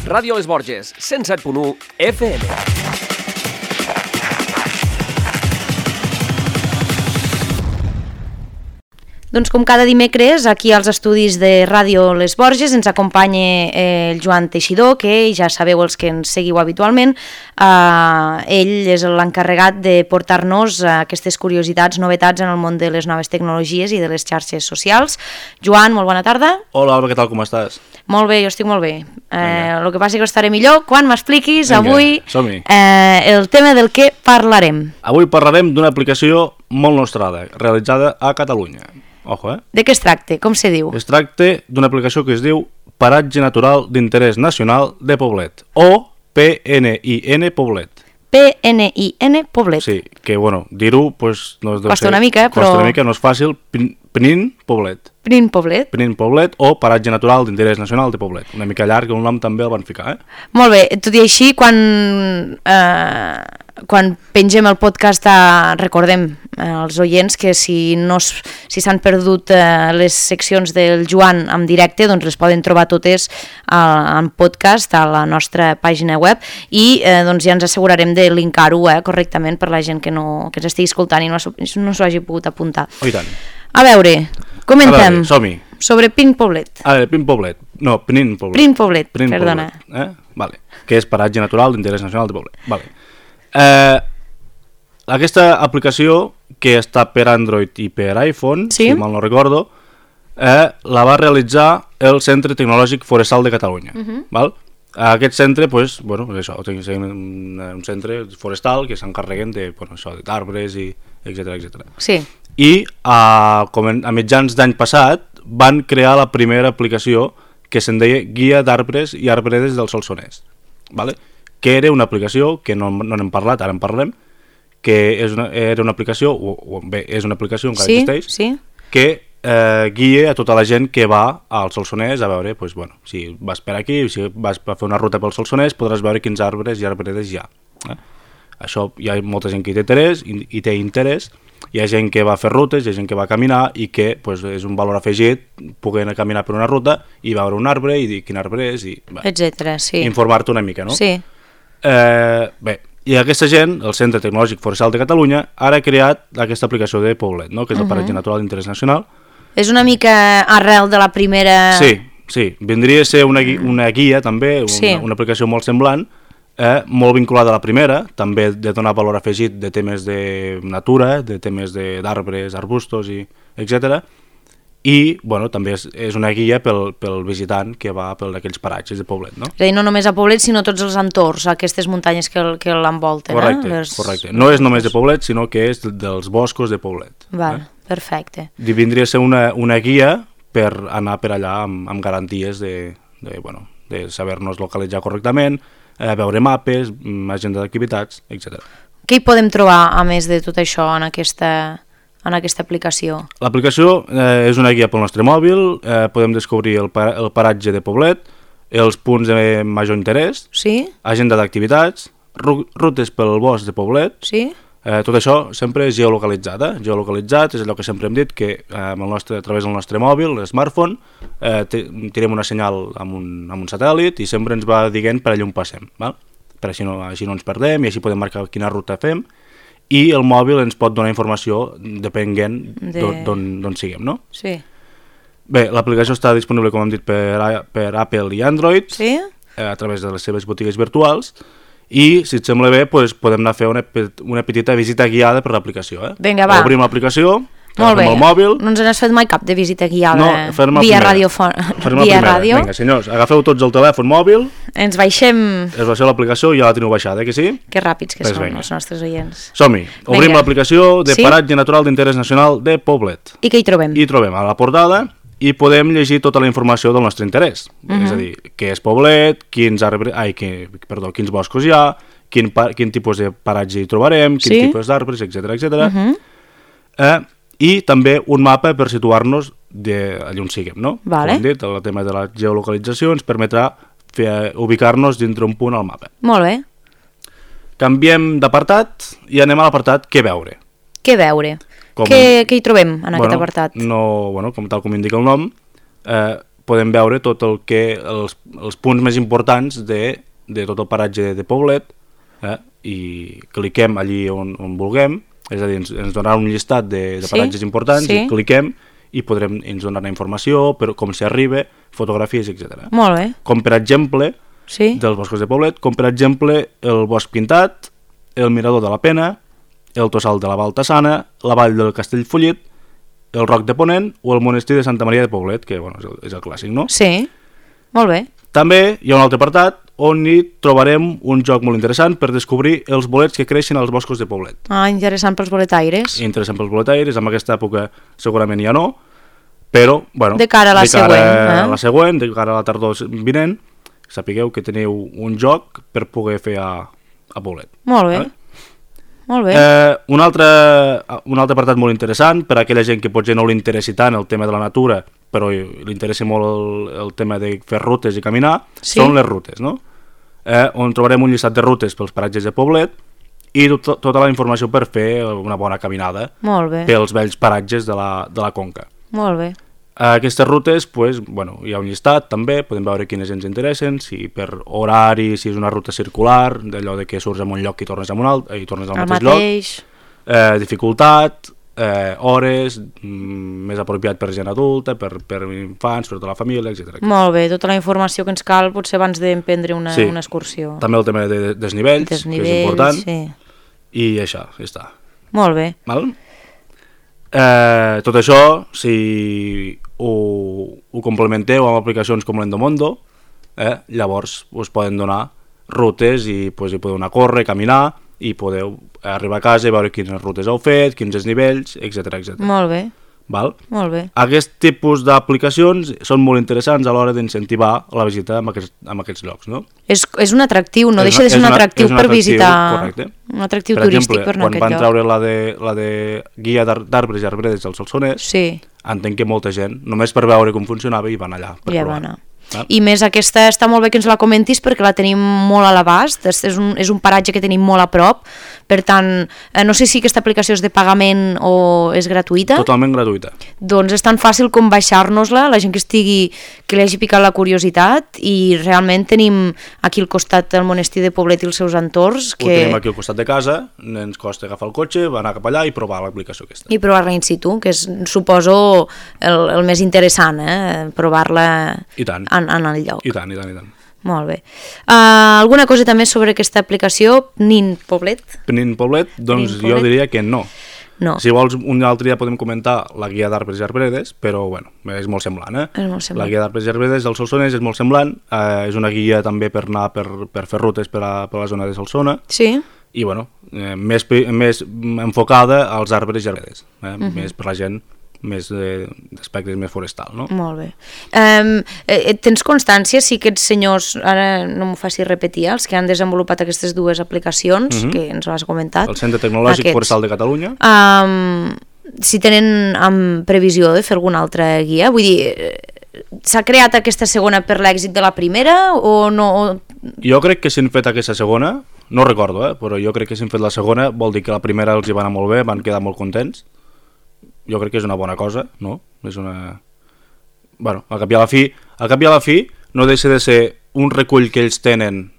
Ràdio Les Borges, 107.1 FM. Doncs com cada dimecres, aquí als estudis de Ràdio Les Borges ens acompanya el Joan Teixidor, que ja sabeu els que ens seguiu habitualment. Ell és l'encarregat de portar-nos aquestes curiositats, novetats en el món de les noves tecnologies i de les xarxes socials. Joan, molt bona tarda. Hola, Alba, què tal, com estàs? Molt bé, jo estic molt bé. El que passa és que estaré millor quan m'expliquis avui el tema del que parlarem. Avui parlarem d'una aplicació molt nostrada, realitzada a Catalunya. Ojo, De què es tracta? Com se diu? Es tracta d'una aplicació que es diu Paratge Natural d'Interès Nacional de Poblet, o PNIN Poblet. PNIN Poblet. Sí, que, bueno, dir-ho, pues, no es deu costa una mica, però... Costa una mica, no és fàcil. PNIN Poblet. PNIN Poblet. PNIN Poblet o Paratge Natural d'Interès Nacional de Poblet. Una mica llarg, un nom també el van ficar, Molt bé, tot i així, quan pengem el podcast, recordem als oients que si s'han perdut les seccions del Joan en directe, doncs les poden trobar totes en podcast a la nostra pàgina web i doncs ja ens assegurarem de linkar-ho correctament per la gent que ens estigui escoltant i no s'ho hagi pogut apuntar. Oh, i tant. A veure, comentem. Som-hi. Sobre PNIN Poblet. PNIN Poblet. No, PNIN Poblet. PNIN Poblet, perdona. Vale. Que és Paratge Natural d'Interès Nacional de Poblet. Vale. Aquesta aplicació, que està per Android i per iPhone, si mal no recordo, la va realitzar el Centre Tecnològic Forestal de Catalunya. Val? Aquest centre, doncs, bueno, això, és un centre forestal que s'encarreguen d'arbres i etcètera. Sí. I a mitjans d'any passat van crear la primera aplicació que se'n deia Guia d'Arbres i Arbredes del Solsonès, vale? Que era una aplicació que no n'hem parlat, ara en parlem, que era una aplicació, és una aplicació, encara existeix, que guia a tota la gent que va al Solsonès a veure, doncs, bueno, si vas per aquí, si vas a fer una ruta pel Solsonès, podràs veure quins arbres i arbredes hi ha. Això hi ha molta gent que hi té interès, hi ha gent que va fer rutes, hi ha gent que va caminar i que és un valor afegit poder caminar per una ruta i veure un arbre i dir quin arbre és i etcètera, sí. Informar-te una mica, no? Sí. Bé, i aquesta gent, el Centre Tecnològic Forestal de Catalunya, ara ha creat aquesta aplicació de Poblet, no? Que és el Paratge Natural d'Interès Nacional. És una mica arrel de la primera... Sí, vindria a ser una guia també, una aplicació molt semblant, molt vinculada a la primera, també de donar valor afegit de temes de natura, de temes d'arbres, arbustos, etc. I bueno, també és una guia pel visitant que va per aquells paratges de Poblet, no? És a dir, no només a Poblet, sinó tots els entorns, aquestes muntanyes que l'envolten. Correcte. No és només de Poblet, sinó que és dels boscos de Poblet. Val, perfecte. Vindria a ser una guia per anar per allà amb garanties de saber-nos localitzar correctament, veure mapes, agenda d'activitats, etc. Què hi podem trobar, a més de tot això, en aquesta aplicació? L'aplicació és una guia pel nostre mòbil, podem descobrir el paratge de Poblet, els punts de major interès, agenda d'activitats, rutes pel bosc de Poblet, tot això sempre és geolocalitzat. Geolocalitzat és allò que sempre hem dit, que a través del nostre mòbil, l'smartphone, tirem una senyal amb un satèl·lit i sempre ens va dient per allà on passem, val? Per així no ens perdem i així podem marcar quina ruta fem. I el mòbil ens pot donar informació depenent d'on siguem, no? Sí. Bé, l'aplicació està disponible, com hem dit, per Apple i Android, a través de les seves botigues virtuals, i, si et sembla bé, podem anar a fer una petita visita guiada per l'aplicació. Vinga, va. Obrim l'aplicació, molt bé. El mòbil... No ens n'has fet mai cap de visita guiada via ràdio. Vinga, senyors, agafeu tots el telèfon mòbil, ens baixem l'aplicació i ja la teniu baixada, que sí? Que ràpids que són els nostres oients. Som-hi, obrim l'aplicació de Paratge Natural d'Interès Nacional de Poblet. I què hi trobem? Hi trobem a la portada i podem llegir tota la informació del nostre interès. És a dir, què és Poblet, quins boscos hi ha, quin tipus de paratge hi trobarem, quin tipus d'arbres, etc. I també un mapa per situar-nos allà on siguem, no? Com hem dit, el tema de la geolocalització ens permetrà ubicar-nos dintre un punt al mapa. Molt bé. Canviem d'apartat i anem a l'apartat Què veure. Què veure? Què hi trobem en aquest apartat? Tal com indica el nom, podem veure tot el que els punts més importants de tot el paratge de Poblet, i cliquem allí on vulguem, és a dir, ens donarà un llistat de paratges importants, i cliquem i ens donarà informació, com s'hi arriba, fotografies, etc. Molt bé. Com per exemple, dels boscos de Poblet, com per exemple el Bosc Pintat, el Mirador de la Pena, el Tossal de la Baltasana, la Vall del Castellfollit, el Roc de Ponent o el Monestir de Santa Maria de Poblet, que és el clàssic, no? Sí, molt bé. També hi ha un altre apartat on hi trobarem un joc molt interessant per descobrir els bolets que creixen als boscos de Poblet. Interessant pels boletaires. Interessant pels boletaires, en aquesta època segurament ja no, però, bueno, de cara a la següent, de cara a la tardor vinent, sapigueu que teniu un joc per poder fer a Poblet. Molt bé. Molt bé. Un altre apartat molt interessant per a aquella gent que potser no li interessi tant el tema de la natura, però li interessa molt el tema de fer rutes i caminar, són les rutes, no? On trobarem un llistat de rutes pels paratges de Poblet i tota la informació per fer una bona caminada pels vells paratges de la Conca. Molt bé. Aquestes rutes, hi ha un llistat també, podem veure quines ens interessen, si per horari, si és una ruta circular, d'allò de que surts en un lloc i tornes a un altre, i tornes al mateix lloc, dificultat, hores, més apropiat per gent adulta, per infants, per tota la família, etc. Molt bé, tota la informació que ens cal potser abans d'emprendre una excursió. També el tema de desnivells, que és important, i això, ja està. Molt bé. Tot això, si ho complementeu amb aplicacions com l'Endomondo, llavors us poden donar rutes i hi podeu anar a córrer, caminar, i podeu arribar a casa i veure quines rutes heu fet, quins desnivells, etc. Molt bé. Molt bé. Aquest tipus d'aplicacions són molt interessants a l'hora d'incentivar la visita en aquests llocs, no? És un atractiu, no deixa de ser un atractiu per visitar... Correcte. Un atractiu turístic per anar a aquest lloc. Quan van treure la de guia d'arbres i arbredes del Solsonès, entenc que molta gent, només per veure com funcionava, hi van allà per provar. I més aquesta està molt bé que ens la comentis perquè la tenim molt a l'abast, és un paratge que tenim molt a prop, per tant, no sé si aquesta aplicació és de pagament o és gratuïta. Totalment gratuïta. Doncs és tan fàcil com baixar-nos-la, la gent que li hagi picat la curiositat, i realment tenim aquí al costat el monestir de Poblet i els seus entorns. Ho tenim aquí al costat de casa, ens costa agafar el cotxe, anar cap allà i provar l'aplicació aquesta. I provar-la in situ, que és, suposo, el més interessant, provar-la en el lloc. I tant. Molt bé. Alguna cosa també sobre aquesta aplicació, PNIN Poblet? PNIN Poblet, doncs jo diria que no. Si vols, un altre dia podem comentar la guia d'arbres i arbredes, però bueno, és molt semblant, La guia d'arbres i arbredes del Solsonès és molt semblant, és una guia també per anar per fer rutes per a la zona de Solsona. Sí. I bueno, més enfocada als arbres i arbredes, més per la gent més d'aspectes més forestal, no? Molt bé. Tens constància si aquests senyors, ara no m'ho facis repetir, els que han desenvolupat aquestes dues aplicacions, que ens has comentat, el Centre Tecnològic Forestal de Catalunya, si tenen previsió de fer alguna altra guia? Vull dir, s'ha creat aquesta segona per l'èxit de la primera o no? Jo crec que si han fet aquesta segona, no recordo, però jo crec que si han fet la segona vol dir que la primera els hi va anar molt bé, van quedar molt contents. Jo crec que és una bona cosa, no? És una... Bueno, al cap i a la fi no deixa de ser un recull que ells tenen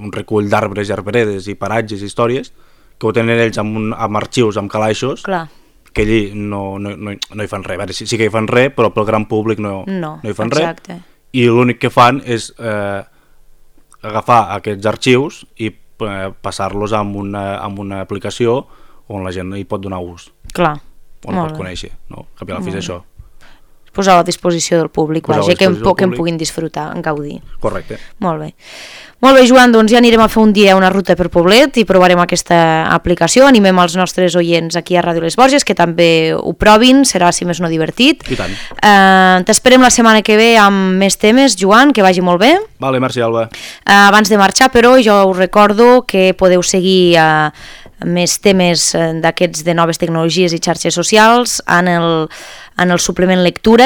un recull d'arbres i arbredes i paratges i històries que ho tenen ells amb arxius, amb calaixos. Clar. Que allí no hi fan res. Sí que hi fan res, però pel gran públic no hi fan res. I l'únic que fan és agafar aquests arxius i passar-los amb una aplicació on la gent hi pot donar ús. Clar. On pot conèixer, no? Cap i a la fi és això. Posar a la disposició del públic, que en puguin disfrutar, en gaudir. Correcte. Molt bé. Molt bé, Joan, doncs ja anirem a fer un dia una ruta per Poblet i provarem aquesta aplicació. Animem els nostres oients aquí a Ràdio Les Borges que també ho provin, serà, si més no, divertit. I tant. T'esperem la setmana que ve amb més temes, Joan, que vagi molt bé. Vale, merci, Alba. Abans de marxar, però, jo us recordo que podeu seguir més temes d'aquests de noves tecnologies i xarxes socials en el suplement lectura